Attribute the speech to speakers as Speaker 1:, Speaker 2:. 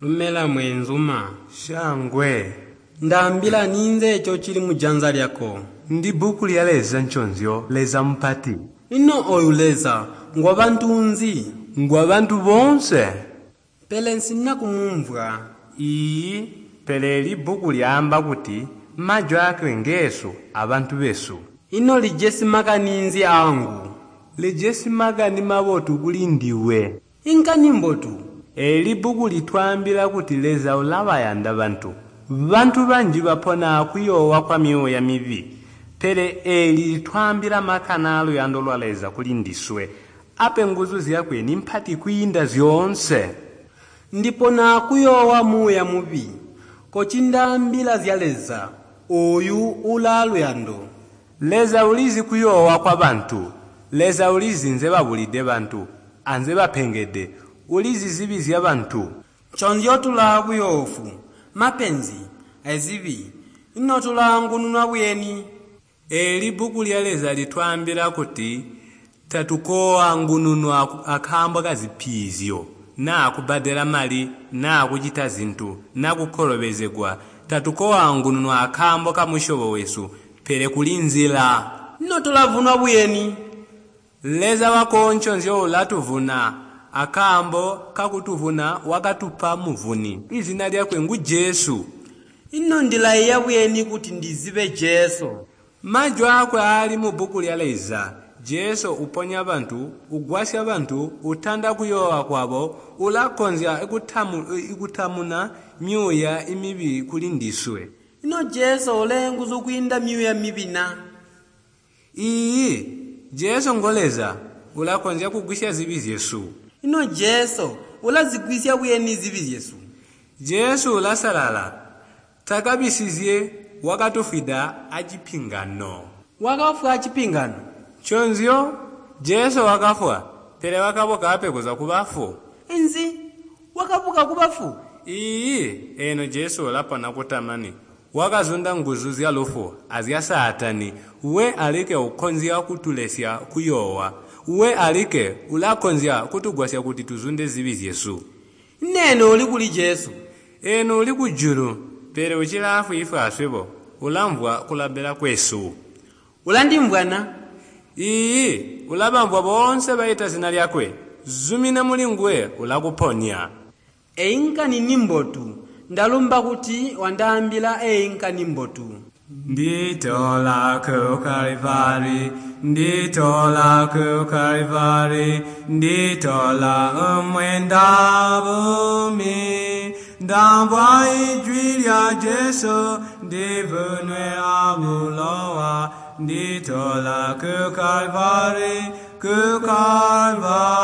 Speaker 1: Lumela mweenzuma.
Speaker 2: Shangwe.
Speaker 1: Ndaambila ninze eco cili mujanza lyako?
Speaker 2: Ndi bbuku lya Leza nconzyo, Leza mupati.
Speaker 1: Ino oyu Leza ngwa bantu nzi?
Speaker 2: Ngwa bantu boonse.
Speaker 1: Pele nsina kumumvwa.
Speaker 2: Iiyi, pele eli bbuku lyaamba kuti majwi aakwe ngeesu abantu besu.
Speaker 1: Ino lijesi makani nzi aangu?
Speaker 2: Lijesi makani mabotu kuli ndiwe.
Speaker 1: Inkani mbotu?
Speaker 2: Eeli bbuku litwaambila kuti Leza ulabayanda bantu. Bantu banji bapona akuyoowa kwa myuuya mibi. Pele eeli litwaambila makani aaluyando lwa Leza kuli ndiswe. Ape nguzu zyakwe nimpati kwiinda zyoonse.
Speaker 1: Ndipona akuyoowa muuya mubi. Kocindaambila zya Leza ooyu ulaa luyando.
Speaker 2: Leza ulizi kuyoowa kwa bantu. Leza ulizi nzebabulide bantu, anzebapengede. Ulizi zibi zya bantu.
Speaker 1: Nconzyo tulaa buyoofu, mapenzi, azibi. Ino tulaangununwa buyeni?
Speaker 2: Eeli bbuku lya Leza litwaambila kuti tatukooangununwa akaambo kazipiizyo, naa kubbadela mali, naa kucita zintu, na kukolobezegwa. Tatukooangununwa akaambo kamusyobo wesu, pele kuli nzila.
Speaker 1: Ino tulavunwa buyeni?
Speaker 2: Leza wako nconzyo ulatuvuna. Akaambo kakutuvuna wakatupa muvuni. Izina lyakwe ngu Jesu.
Speaker 1: Ino ndilaiya buyeni kuti ndizibe Jesu?
Speaker 2: Majwi aakwe aali mubbuku lya Leza. Jesu uponya bantu, ugwasya bantu, utanda kuyoowa kwabo, ulakonzya kutamuna myuuya mibi kuli ndiswe.
Speaker 1: Ino Jesu uleenguzu kwiinda myuuya mibi na?
Speaker 2: Iiyi, Jesu ngo Leza, ulakonzya kugwisya zibi zyesu.
Speaker 1: Ino Jesu ulazigwisya buyeni zibi zyesu?
Speaker 2: Jesu ulasalala, takabisizye, wakatufwida acipingano.
Speaker 1: Wakafwa acipingano?
Speaker 2: Nconzyo, Jesu wakafwa, pele wakabuka ape kuzwa kubafu.
Speaker 1: Inzi? Wakabuka kubafu?
Speaker 2: Iiyi, eno Jesu ulapona kutamani. Wakazunda nguzu zya lufu azya Saatani. We alike ukonzya kutulesya kuyoowa. We alike ulakonzya kutugwasya kuti tuzunde zibi zyesu.
Speaker 1: Ino eno uli kuli Jesu?
Speaker 2: Eno uli kujulu, pele ucilaafwiifwi aswebo, ulamvwa kulabila kwesu.
Speaker 1: Ulandimvwa na?
Speaker 2: Iiyi, ulabamvwa boonse baita zina lyakwe. Zumina muli nguwe ulakuponya.
Speaker 1: Eyi nkani ni mbotu. Ndalumba kuti wandaambila eyi nkani mbotu.
Speaker 2: Nditola ku Kalvari, nditola ku Kalvari, nditola umwenda bumi. Ndamvwa ijwi lya Jesu, ndivunwe abulowa. Nditola ku Kalvari, ku Kalvari.